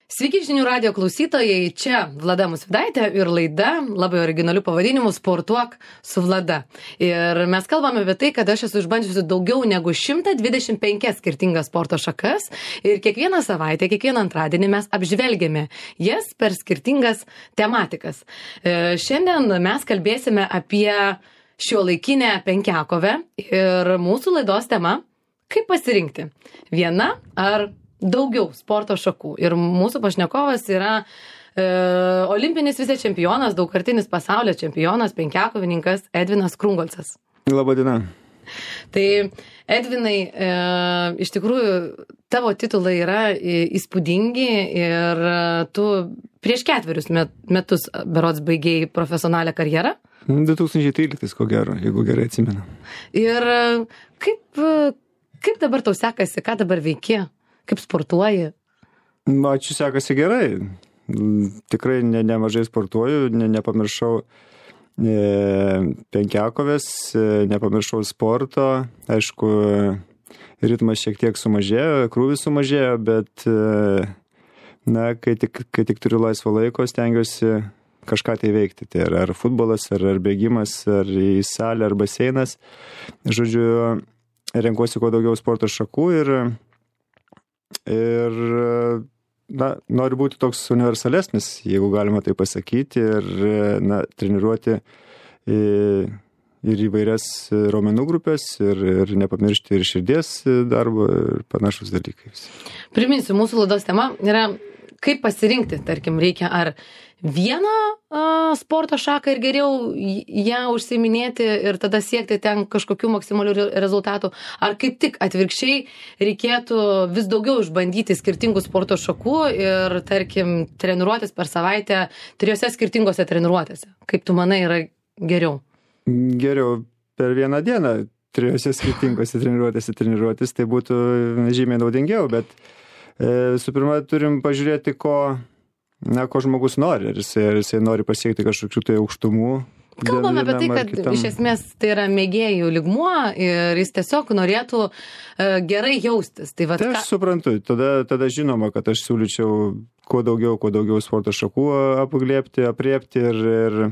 Sveiki žinių radijo klausytojai, čia Vlada Musvydaitė ir laida labai originaliu pavadinimu Sportuok su Vlada. Ir mes kalbame apie tai, kad aš esu išbandžiusi daugiau negu 125 skirtingas sporto šakas ir kiekvieną savaitę, kiekvieną antradienį mes apžvelgiame jas per skirtingas tematikas. Šiandien mes kalbėsime apie šiuolaikinę penkiakovę ir mūsų laidos tema – kaip pasirinkti viena ar daugiau sporto šakų. Ir mūsų pašnekovas yra olimpinis vicečempionas, daugkartinis pasaulio čempionas, penkiakovininkas Edvinas Krungolcas. Labadiena. Tai Edvinai, iš tikrųjų tavo titulai yra įspūdingi ir tu prieš 4 metus berods baigėjai profesionalią karjerą. 2013, ko gero, jeigu gerai atsimenu. Ir kaip dabar tau sekasi, ką dabar veiki? Kaip sportuoji? Ačiū, sekasi gerai. Tikrai nemažai sportuoju, nepamiršau penkiakovės, nepamiršau sporto. Aišku, ritmas šiek tiek sumažėjo, krūvis sumažėjo, bet kai tik turiu laisvo laiko, stengiuosi kažką tai veikti. Tai ar futbolas, ar bėgimas, ar į salę, ar baseinas. Žodžiu, renkuosi kuo daugiau sporto šakų ir noriu būti toks universalesnis, jeigu galima tai pasakyti, ir treniruoti ir įvairias raumenų grupės, ir nepamiršti ir širdies darbo ir panašus dalykai. Priminsiu, mūsų laidos tema yra, kaip pasirinkti, tarkim, reikia ar vieną sporto šaką ir geriau ją užsiiminėti ir tada siekti ten kažkokių maksimalių rezultatų, ar kaip tik atvirkščiai reikėtų vis daugiau išbandyti skirtingų sporto šakų ir, tarkim, treniruotis per savaitę 3 skirtingose treniruotėse. Kaip tu manai, yra geriau? Geriau per vieną dieną 3 skirtingose treniruotis, tai būtų žymiai naudingiau, bet su pirma turim pažiūrėti, ko žmogus nori, ar jisai nori pasiekti kažkokių tai aukštumų. Kalbame apie tai, kad iš esmės tai yra mėgėjų lygmuo ir jis tiesiog norėtų gerai jaustis. Tai aš suprantu, tada žinoma, kad aš siūlyčiau kuo daugiau sporto šakų apriepti ir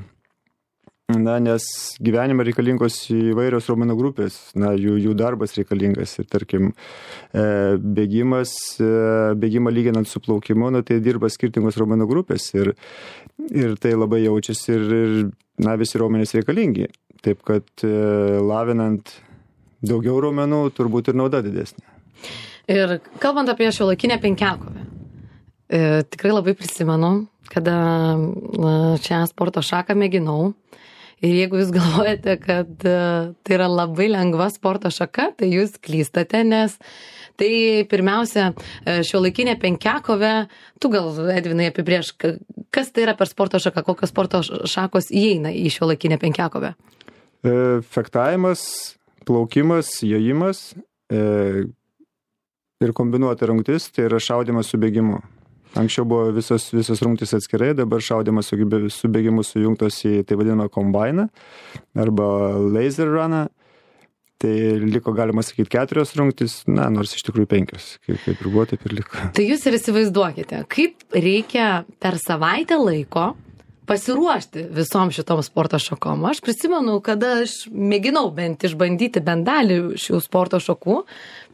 nes gyvenime reikalingos įvairios raumenų grupės, jų darbas reikalingas ir, tarkim, bėgimą lyginant su plaukimu, tai dirba skirtingos raumenų grupės ir tai labai jaučiasi ir visi raumenys reikalingi. Taip, kad lavinant daugiau raumenų, turbūt ir nauda didesnė. Ir kalbant apie šiuolaikinę penkiakovę, tikrai labai prisimenu, kada šią sporto šaką mėginau. Ir jeigu jūs galvojate, kad tai yra labai lengva sporto šaka, tai jūs klystate, nes tai pirmiausia šiuolaikinė penkiakovė, tu gal, Edvinai, apibrėž, kas tai yra per sporto šaka, kokios sporto šakos įeina į šiuolaikinę penkiakovę? Fektavimas, plaukimas, jojimas ir kombinuota rungtis, tai yra šaudymas su bėgimu. Anksčiau buvo visos rungtys atskirai, dabar šaudymas su bėgimu sujungtos į tai vadinamą kombainą arba laser runą. Tai liko, galima sakyti, 4 rungtys, nors iš tikrųjų 5, kaip ir buvo, taip ir liko. Tai jūs ir įsivaizduokite, kaip reikia per savaitę laiko pasiruošti visom šitom sporto šakom. Aš prisimenu, kada aš mėginau bent išbandyti bent dalį šių sporto šakų,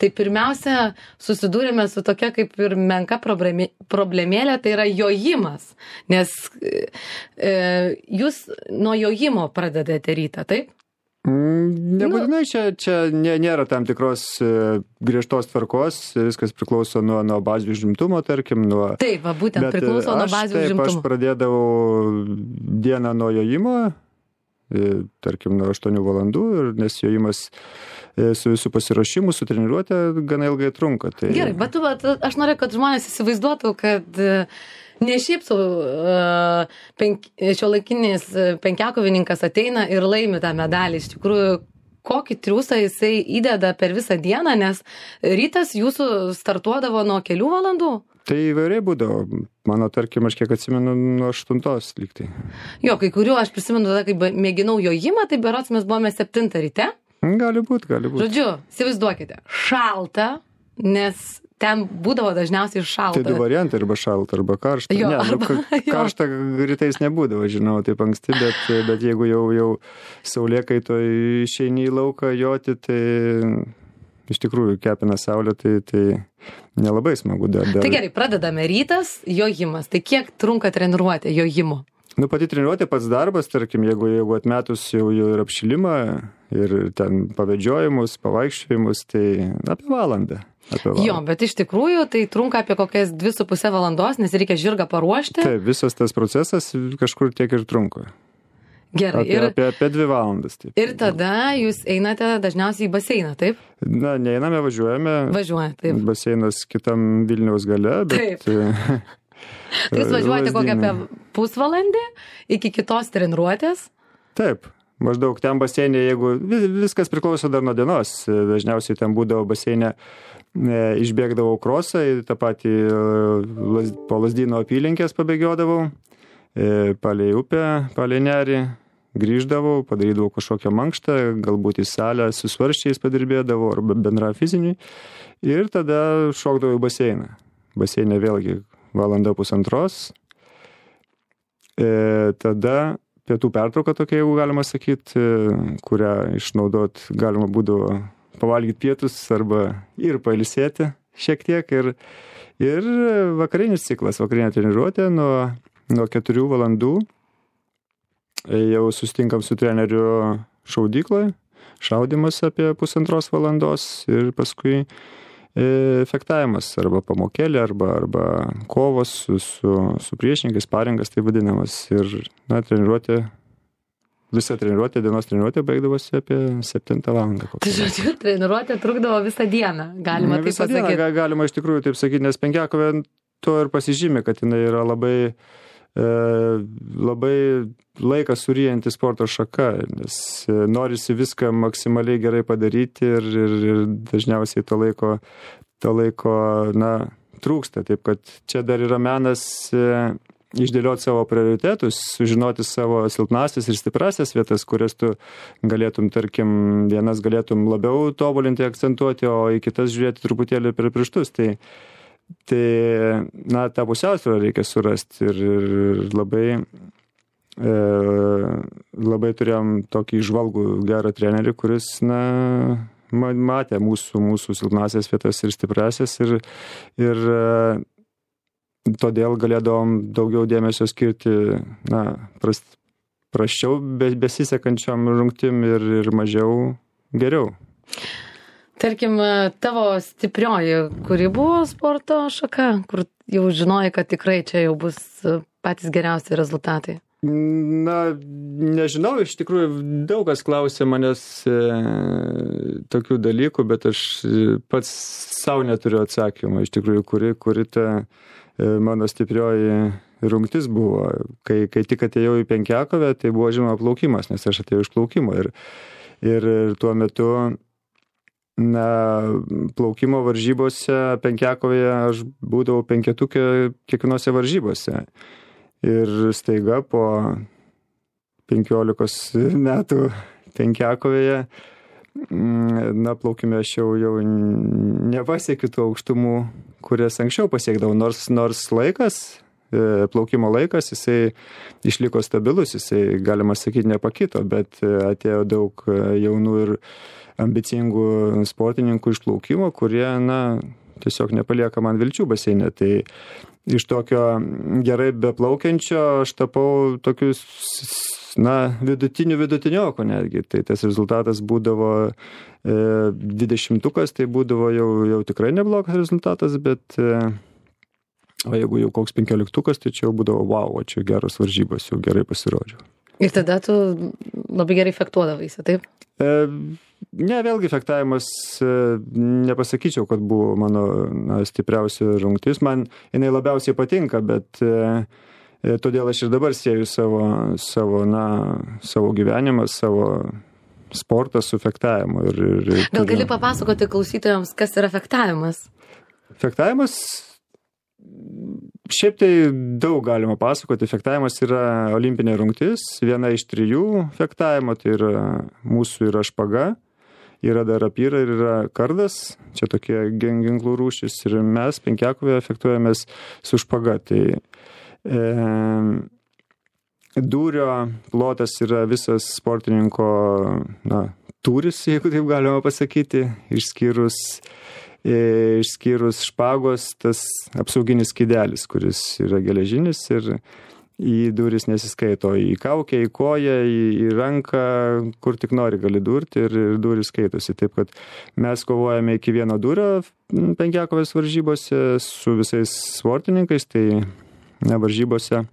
tai pirmiausia susidūrėme su tokia kaip ir menka problemėlė, tai yra jojimas. Nes jūs nuo jojimo pradedate rytą, taip? Nebūtinai, čia nėra tam tikros griežtos tvarkos, viskas priklauso nuo bazių užimtumo, tarkim. Taip, būtent priklauso nuo bazių užimtumo. Aš pradėdavau dieną nuo jojimo, tarkim, nuo 8 valandų, nes jojimas su visų pasiruošimu, su treniruotė gana ilgai trunka. Tai... Gerai, bet aš noriu, kad žmonės įsivaizduotų, kad ne šiaip šiuolaikinis penkiakovininkas ateina ir laimi tą medalį. Iš tikrųjų, kokį triūsą jisai įdeda per visą dieną, nes rytas jūsų startuodavo nuo kelių valandų? Tai įvairiai būdavo. Mano, tarkim, aš kiek atsimenu, nuo 8 lygtai. Jo, kai kuriuo aš prisimenu tada, kai mėginau jojimą, tai berods mes buvome 7 ryte. Gali būt. Žodžiu, įsivaizduokite, šalta, nes ten būdavo dažniausiai šalta. Tai du variantai, arba šalta, arba karšta. Jo, Karšta rytais nebūdavo, žinau, taip anksti, bet jeigu jau saulėkaito išeini į lauką joti, tai iš tikrųjų kepina saulė, tai nelabai smagu dar. Tai gerai, pradedame rytas, jojimas. Tai kiek trunka treniruotė jojimo? Pati treniruotė, pats darbas, tarkim, jeigu atmetus jau ir apšilimą, ir ten pavedžiojimus, pavaikščiojimus, tai apie valandą. Jo, bet iš tikrųjų tai trunka apie kokias 2,5 valandos, nes reikia žirgą paruošti. Taip, visas tas procesas kažkur tiek ir trunka. Gerai. Apie 2 valandas. Taip. Ir tada jūs einate dažniausiai į baseiną, taip? Neiname, važiuojame. Važiuojate, taip. Baseinas kitam Vilniaus gale, bet... Taip. Jūs važiuojate kokią apie pusvalandį iki kitos treniruotės? Taip. Maždaug ten baseinė, jeigu viskas priklauso dar nuo dienos, dažniausiai ten būdavo baseinė, išbėgdavau krosą, tą patį po Lazdyno apylinkės pabėgiodavau, palei upę, palei nerį, grįždavau, padarydavau kažkokią mankštą, galbūt į salę su svarščiais padirbėdavau arba bendra fizinį ir tada šokdavau į baseiną. Baseinė vėlgi valanda pusantros, tada pietų pertrauka tokia, jeigu galima sakyti, kurią išnaudot galima būdavo pavalgyti pietus arba ir pailsėti šiek tiek. Ir vakarinis ciklas, vakarinė treniruotė nuo 4 valandų. Jau susitinkam su treneriu šaudykloje, šaudimas apie 1,5 valandos ir paskui fektavimas arba pamokėlė, arba kovos su priešininkais, sparingas tai vadinamas. Ir visa treniruotė, dienos treniruotė baigdavosi apie 7 valandą. Tai žodžiu, treniruotė trukdavo visą dieną, galima taip pasakyti. Visą dieną galima iš tikrųjų taip sakyti, nes penkiakovė to ir pasižymi, kad jinai yra labai laiką suryjanti sporto šaka, nes norisi viską maksimaliai gerai padaryti ir dažniausiai to laiko trūksta. Taip kad čia dar yra menas išdėlioti savo prioritetus, sužinoti savo silpnasias ir stiprasias vietas, kurias tu galėtum, tarkim, vienas galėtum labiau tobulinti, akcentuoti, o į kitas žiūrėti truputėlį per pirštus. Tai tą pusiausvyrą reikia surasti ir labai turėjom tokį žvalgų gerą trenerį, kuris matė mūsų silpnasias vietas ir stiprasias ir todėl galėdavom daugiau dėmesio skirti prasčiau besisekančiom rungtim ir mažiau geriau. Tarkim, tavo stiprioji, kuri buvo sporto šaka, kur jau žinojai, kad tikrai čia jau bus patys geriausi rezultatai? Nežinau, iš tikrųjų daug kas klausė manęs tokių dalykų, bet aš pats savo neturiu atsakymą, iš tikrųjų, kuri ta mano stiprioji rungtis buvo. Kai tik atėjau į penkiakovę, tai buvo žinoma plaukimas, nes aš atėjau iš plaukimo ir tuo metu plaukimo varžybose penkiakovėje aš būdavau penketukė kiekvienose varžybose. Ir staiga po 15 metų penkiakovėje, plaukime aš jau nepasiekiu tų aukštumų, kurias anksčiau pasiekdavau, nors laikas, plaukimo laikas, jisai išliko stabilus, jisai, galima sakyti, nepakito, bet atėjo daug jaunų ir ambicingų sportininkų iš plaukimo, kurie, tiesiog nepalieka man vilčių baseine. Tai iš tokio gerai beplaukiančio aš tapau tokius, vidutinioko netgi. Tai tas rezultatas būdavo 20-ukas, tai būdavo jau tikrai neblogas rezultatas, bet o jeigu jau koks 15-ukas, tai čia jau būdavo wow, čia geros varžybos, jau gerai pasirodžiau. Ir tada tu labai gerai fektuodavaisi, taip? Ne, vėlgi fektavimas, nepasakyčiau, kad buvo mano stipriausia rungtis. Man jinai labiausiai patinka, bet todėl aš ir dabar sieju savo gyvenimą, savo sportą su fektavimu. Gal gali papasakoti klausytojams, kas yra fektavimas? Fektavimas, šiaip tai daug galima pasakoti. Fektavimas yra olimpinė rungtis, viena iš 3 fektavimo, tai yra mūsų yra špaga. yra dar rapyra ir yra kardas, čia tokie ginklų rūšis ir mes penkiakovėje fektuojamės su špaga. Tai dūrio plotas yra visas sportininko tūris, jeigu taip galima pasakyti, išskyrus špagos, tas apsauginis skydelis, kuris yra geležinis ir į duris nesiskaito, į kaukę, į koją, į ranką, kur tik nori gali durti ir duris skaitosi. Taip, kad mes kovojame iki vieno durio penkiakovės varžybose su visais sportininkais, tai varžybose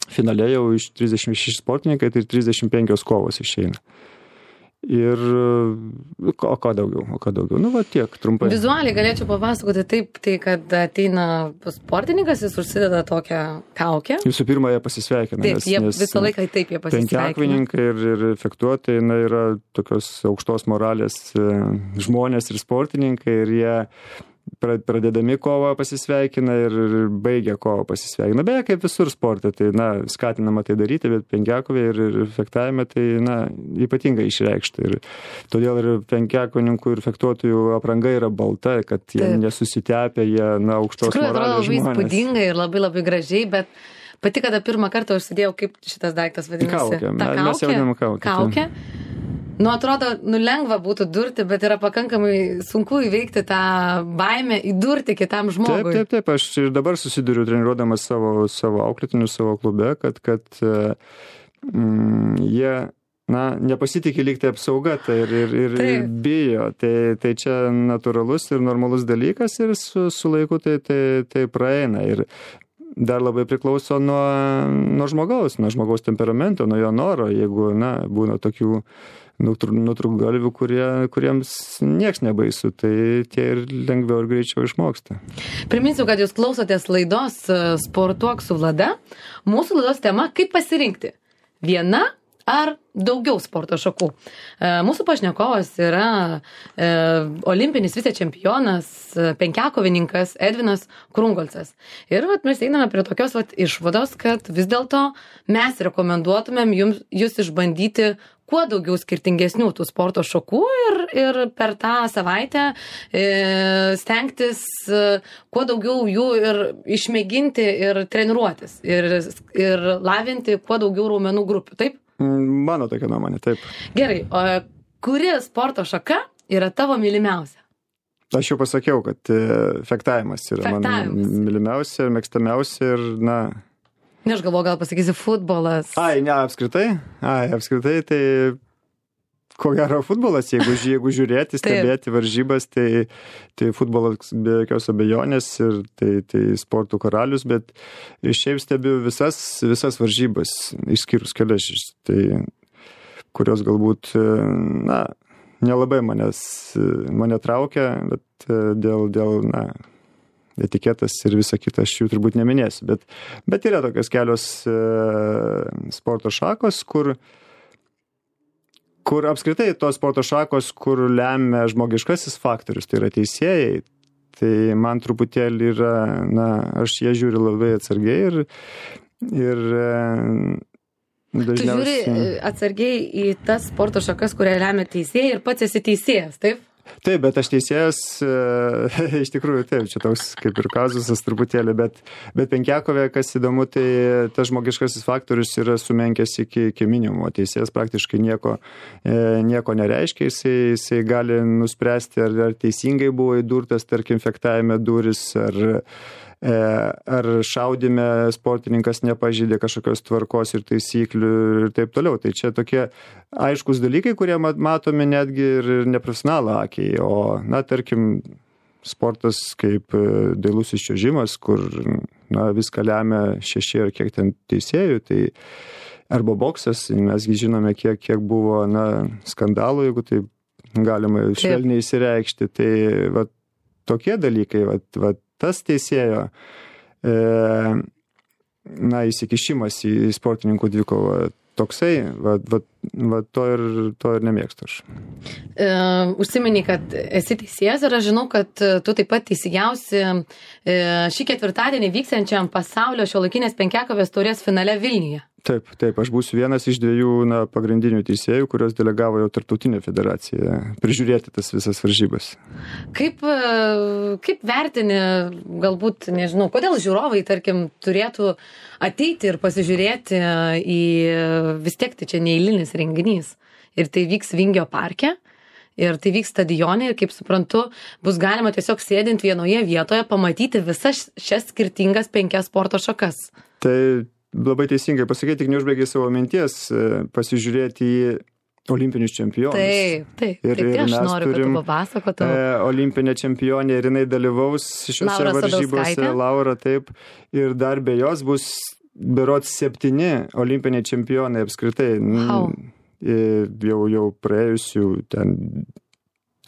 finale jau iš 36 sportininkai, tai 35 kovos išeina. Ir o ką daugiau? Tiek trumpai. Vizualiai galėčiau papasakoti taip, tai kad ateina sportininkas, jis užsideda tokią kaukę. Visų pirma, jie pasisveikina. Taip, jie visą laiką taip jie pasisveikina. Penkiakovininkai ir fektuotojai yra tokios aukštos moralės žmonės ir sportininkai ir jie pradėdami kovą pasisveikina ir baigia kovą pasisveikina. Beje, kaip visur sporte, tai skatinama tai daryti, bet penkiakovė ir fektavime tai ypatingai išreikšta. Ir todėl ir penkiakovininkų ir fektuotojų apranga yra balta, kad jie nesusitepia, jie aukštos moralės žmonės. Tikrai atrodo labai įspūdingai ir labai labai gražiai, bet pati, kada pirmą kartą užsidėjau, kaip šitas daiktas vadinasi? Kaukė. Mes jau vadinam kaukę. Kaukė? Atrodo, lengva būtų durti, bet yra pakankamai sunku įveikti tą baimę, įdurti kitam žmogui. Taip. Aš ir dabar susiduriu treniruodamas savo auklėtinius savo klube, kad jie nepasitikė lygti apsauga ir bijo. Tai čia natūralus ir normalus dalykas ir su laiku tai praeina. Ir dar labai priklauso nuo žmogaus temperamento, nuo jo noro. Jeigu būna tokių nutrūktgalvių, kuriems nieks nebaisu, tai tie ir lengviau ir greičiau išmoksta. Priminsiu, kad jūs klausotės laidos Sportuok su Vlada. Mūsų laidos tema – kaip pasirinkti? Viena ar daugiau sporto šakų? Mūsų pašnekovas yra olimpinis vicečempionas, penkiakovininkas Edvinas Krungolcas. Ir mes einame prie tokios išvados, kad vis dėlto mes rekomenduotumėm jūs išbandyti kuo daugiau skirtingesnių tų sporto šakų ir per tą savaitę stengtis kuo daugiau jų ir išmėginti ir treniruotis ir lavinti kuo daugiau raumenų grupių, taip? Mano tokia nuomonė, taip. Gerai, o kuri sporto šaka yra tavo mylimiausia? Aš jau pasakiau, kad fektavimas yra mano mylimiausia ir mėgstamiausia ir Aš galvoju, gal pasakysi futbolas. Apskritai, tai ko gero futbolas, jeigu žiūrėti, stebėti varžybas, tai futbolas be jokios abejonės ir tai sportų karalius, bet šiaip stebiu visas varžybas, išskyrus kelias, kurios galbūt, nelabai mane traukia, bet dėl etiketas ir visa kita, aš jų turbūt neminėsiu, bet yra tokios kelios sporto šakos, kur apskritai tos sporto šakos, kur lemia žmogiškasis faktorius, tai yra teisėjai, tai man truputėlį yra, aš jie žiūri labai atsargiai ir dažniausiai... Tu žiūri atsargiai į tas sporto šakas, kurie lemia teisėjai ir pats esi teisėjas, taip? Taip, bet aš teisėjas, iš tikrųjų taip, čia toks kaip ir kazusas truputėlį, bet penkiakovė, kas įdomu, tai tas žmogiškasis faktorius yra sumenkęs iki minimumo. Teisėjas praktiškai nieko nereiškia, jisai gali nuspręsti, ar teisingai buvo įdurtas, tarkim, fektavime duris, ar šaudime sportininkas nepažeidė kažkokios tvarkos ir taisyklių ir taip toliau. Tai čia tokie aiškus dalykai, kurie matomi netgi ir neprofesionalų akiai. O, tarkim, sportas kaip dailusis čiuožimas, kur viską lemia 6 ar kiek ten teisėjų, tai arba boksas, mesgi žinome, kiek buvo skandalų, jeigu tai galima švelniai įsireikšti. Tai tokie dalykai, tas teisėjo įsikišimas į sportininkų dvikovą toksai, to ir nemėgstu aš. Užsimeni, kad esi teisėjas ir aš žinau, kad tu taip pat teisėjausi šį ketvirtadienį vyksiančiam pasaulio šiuolaikinės penkiakovės taurės finale Vilniuje. Taip, aš būsiu vienas iš 2 pagrindinių teisėjų, kurios delegavo jau tarptautinė federacija prižiūrėti tas visas varžybas. Kaip vertini, galbūt, nežinau, kodėl žiūrovai, tarkim, turėtų ateiti ir pasižiūrėti į, vis tiek tai čia neeilinis renginys ir tai vyks Vingio parke ir tai vyks stadione ir, kaip suprantu, bus galima tiesiog sėdint vienoje vietoje pamatyti visas šias skirtingas 5 sporto šakas. Tai labai teisingai pasakyti, tik neužbaigiai savo minties, pasižiūrėti į olimpinius čempionus. Taip, aš noriu, kad tu papasakotum. Olimpinė čempionė ir jinai dalyvaus šiuose varžybose, Laura, taip, ir dar be jos bus berods 7 olimpiniai čempionai apskritai. Wow. Jau praėjusių ten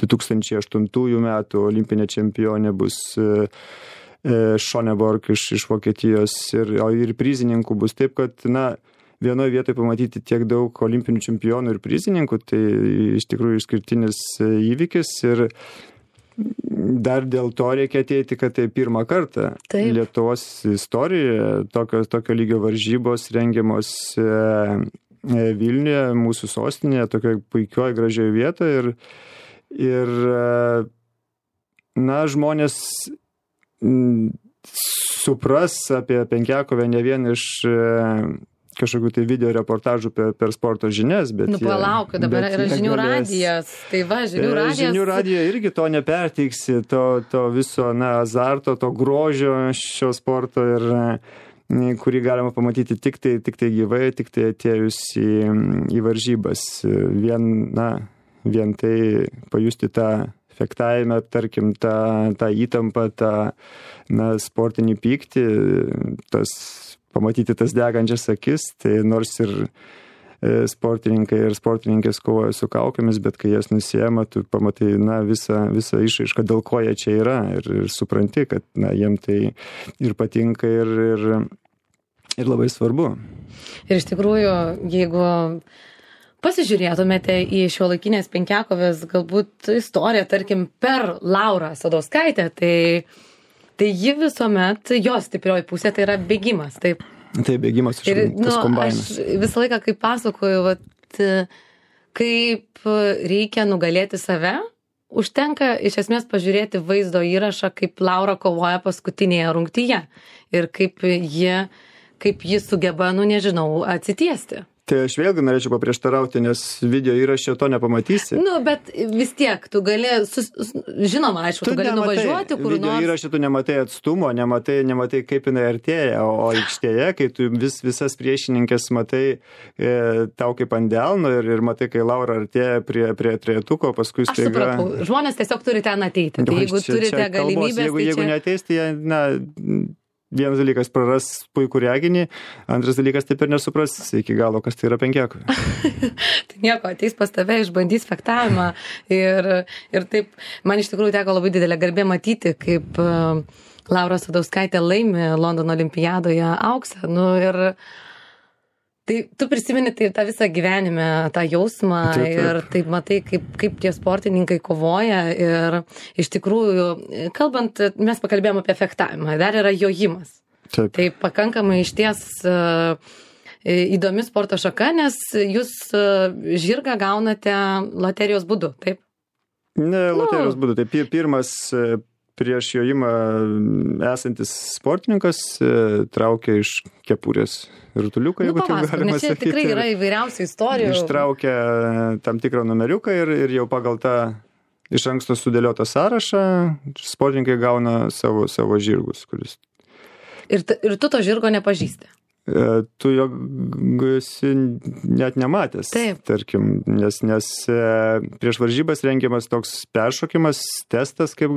2008 metų olimpinė čempionė bus Schöneborg iš Vokietijos ir prizininkų bus taip, kad vienoje vietoje pamatyti tiek daug olimpinių čempionų ir prizininkų, tai iš tikrųjų išskirtinis įvykis ir dar dėl to reikia ateiti, kad tai pirmą kartą Lietuvos istorijoje tokio lygio varžybos rengiamos Vilniuje, mūsų sostinėje, tokioje puikioje, gražioje vietoje ir žmonės supras apie penkiakovę ne vien iš kažkokių tai video reportažų per sporto žinias, bet palauk, dabar yra žinių radijas, tai va, žinių radijas. Žinių radijoje irgi to neperteiksi, to viso azarto, to grožio šio sporto ir kurį galima pamatyti tik tai gyvai, tik tai atėjus į varžybas. Vien tai pajusti tą fektavime, tarkim, tą įtampą, tą sportinį pyktį, pamatyti tas degančias akis, tai nors ir sportininkai ir sportininkės kovoja su kaukėmis, bet kai jas nusiema, tu pamatai visą išraišką, dėl ko jie čia yra ir supranti, kad jiem tai ir patinka ir labai svarbu. Ir iš tikrųjų, jeigu pasižiūrėtumėte į šiuolaikinės penkiakovės galbūt istoriją, tarkim, per Laurą Sadauskaitę, tai ji visuomet, jos stiprioji pusė, tai yra bėgimas, taip. Tai bėgimas iš tas kombainas. Aš visą laiką, kaip pasakoju, kaip reikia nugalėti save, užtenka iš esmės pažiūrėti vaizdo įrašą, kaip Laura kovoja paskutinėje rungtyje ir kaip ji sugeba, atsitiesti. Tai aš vėlgi norėčiau paprieštarauti, nes video įraše to nepamatysi. Bet vis tiek, tu gali, žinoma, aišku, tu gali nuvažiuoti kur nors. Video įraše tu nematai atstumo, nematai kaip jinai artėja, o aikštėje, kai tu visas priešininkės matai tau kaip ant delno ir matai, kai Laura artėja prie trejetuko, paskui staiga... Aš supratau, žmonės tiesiog turi ten ateiti. Tai jeigu turite galimybės... Jeigu neateis, tai vienas dalykas praras puikų reginį, antras dalykas taip ir nesupras iki galo, kas tai yra penkiakovė. Tai nieko, ateis pas tave, išbandys fektavimą ir taip, man iš tikrųjų teko labai didelė garbė matyti, kaip Laura Sadauskaitė laimi Londono olimpiadoje auksą. Ir tai tu prisimeni tą visą gyvenime, tą jausmą ir taip matai, kaip tie sportininkai kovoja ir iš tikrųjų, kalbant, mes pakalbėjome apie fektavimą, dar yra jojimas. Taip. Tai pakankamai išties įdomi sporto šaka, nes jūs žirgą gaunate loterijos būdu, taip? Ne, loterijos būdu, tai pirmas prieš jojimą esantis sportininkas traukia iš kepurės rutuliuką, jeigu taip galima sakyti. Čia tikrai yra įvairiausių istorijų. Ištraukia tam tikrą numeriuką ir jau pagal tą iš anksto sudėliotą sąrašą sportininkai gauna savo žirgus. Ir tu to žirgo nepažįsti? Tu jo esi net nematęs, tarkim, nes prieš varžybas rengiamas toks peršokimas, testas, kaip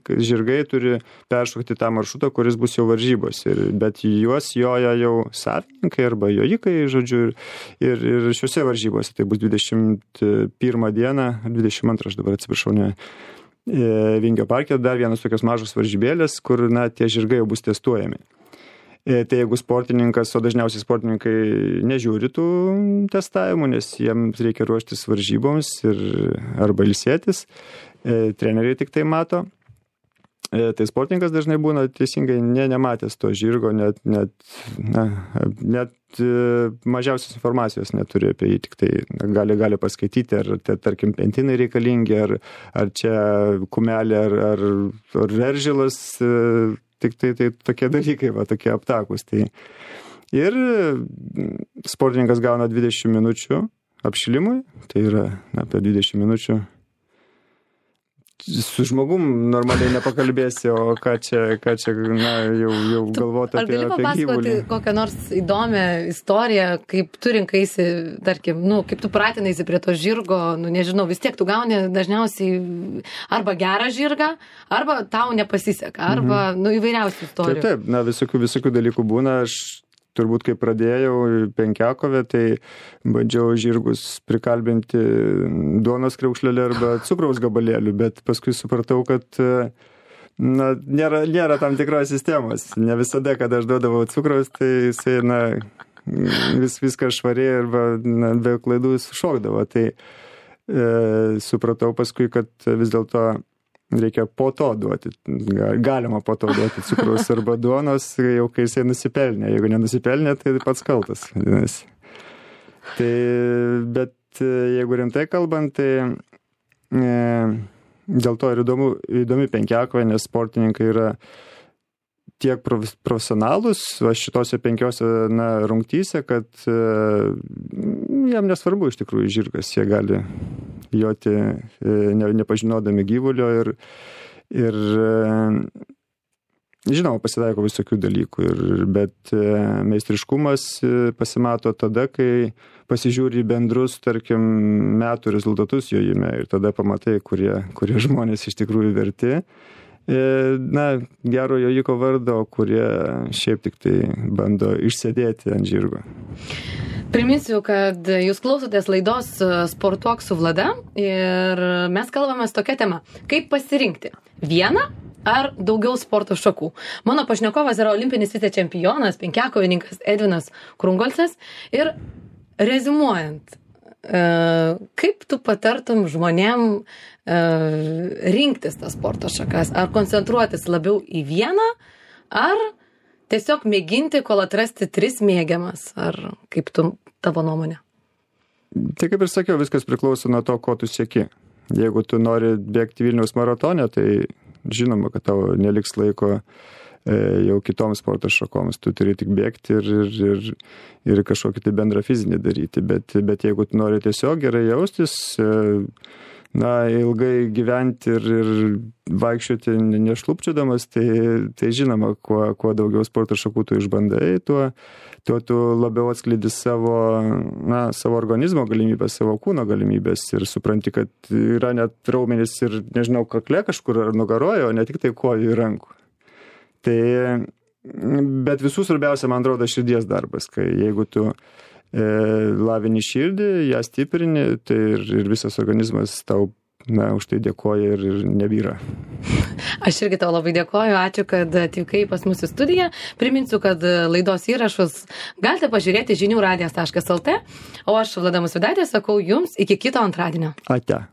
žirgai turi peršokti tą maršrutą, kuris bus jau varžybos, bet juos joja jau savininkai arba jojikai, žodžiu, ir šiuose varžybose, tai bus 21 dieną, 22, aš dabar atsiprašau, ne, Vingio parke, dar vienas tokios mažos varžybėlės, kur, tie žirgai jau bus testuojami. Tai jeigu sportininkas, o dažniausiai sportininkai nežiūri tų testavimų, nes jiems reikia ruoštis varžyboms arba ilsėtis, treneriai tik tai mato. Tai sportininkas dažnai būna teisingai nematęs to žirgo, net mažiausios informacijos neturi apie jį, tik tai gali paskaityti, ar tarkim pentinai reikalingi, ar čia kumelė, ar veržilas, tik tai tokie dalykai, tokie aptakus. Tai. Ir sportininkas gauna 20 minučių apšilimui, tai yra apie 20 minučių. Su žmogum normaliai nepakalbėsi, o ką čia jau galvoti apie gyvulį. Ar gali papasakoti kokią nors įdomią istoriją, kaip tu rinkaisi, tarkim, kaip tu pratinaisi prie to žirgo, nežinau, vis tiek tu gauni dažniausiai arba gerą žirgą, arba tau nepasiseka, arba įvairiausių istorijų. Taip, visokių dalykų būna. Aš turbūt, kai pradėjau Penkiakovę, tai bandžiau žirgus prikalbinti duonos kriaukšlelį arba cukraus gabalėlių, bet paskui supratau, kad nėra tam tikros sistemos. Ne visada, kada aš duodavau cukraus, tai jisai viską švariai arba be klaidų šokdavo. Tai supratau paskui, kad vis dėlto reikia po to duoti, galima po to duoti cukraus arba duonos, jau kai jisai nusipelnė. Jeigu nenusipelnė, tai pats kaltas. Tai, bet jeigu rimtai kalbant, tai dėl to ir įdomi Penkiakovė, nes sportininkai yra tiek profesionalus šitose 5 rungtyse, kad jam nesvarbu iš tikrųjų žirgas, jie gali joti nepažinodami gyvulio ir žinoma, pasitaiko visokių dalykų, bet meistriškumas pasimato tada, kai pasižiūri bendrus, tarkim, metų rezultatus jojime ir tada pamatai, kurie žmonės iš tikrųjų verti. Gero jojiko vardo, kurie šiaip tik tai bando išsėdėti ant žirgo. Priminsiu, kad jūs klausotės laidos Sportuok su Vlada ir mes kalbamės tokia tema. Kaip pasirinkti vieną ar daugiau sporto šakų? Mano pašnekovas yra olimpinis vicečempionas, penkiakovininkas Edvinas Krungolcas. Ir reziumuojant, kaip tu patartum žmonėm rinktis tas sporto šakas? Ar koncentruotis labiau į vieną, ar tiesiog mėginti, kol atrasti 3 mėgiamas? Ar kaip tavo nuomonė? Tai kaip ir sakiau, viskas priklauso nuo to, ko tu sieki. Jeigu tu nori bėgti Vilniaus maratone, tai žinoma, kad tavo neliks laiko jau kitoms sporto šakoms. Tu turi tik bėgti ir kažkokį tai bendrą fizinį daryti. Bet jeigu tu nori tiesiog gerai jaustis, ilgai gyventi ir vaikščioti nešlupčiodamas, tai žinoma, kuo daugiau sporto šakų tu išbandai, tuo tu labiau atskleidi savo organizmo galimybės, savo kūno galimybės ir supranti, kad yra net raumenys ir, nežinau, kakle kažkur ar nugaroje, o ne tik tai kojų ir rankų. Tai, bet visų svarbiausia, man atrodo, širdies darbas, kai jeigu tu lavini širdį, ją stiprini, tai ir visas organizmas tau už tai dėkoja ir nebyra. Aš irgi tau labai dėkoju, ačiū, kad atvykai pas mūsų studiją. Priminsiu, kad laidos įrašus galite pažiūrėti žinių radijas.lt, o aš, Vlada Musvydaitė, sakau jums iki kito antradienio. Ate.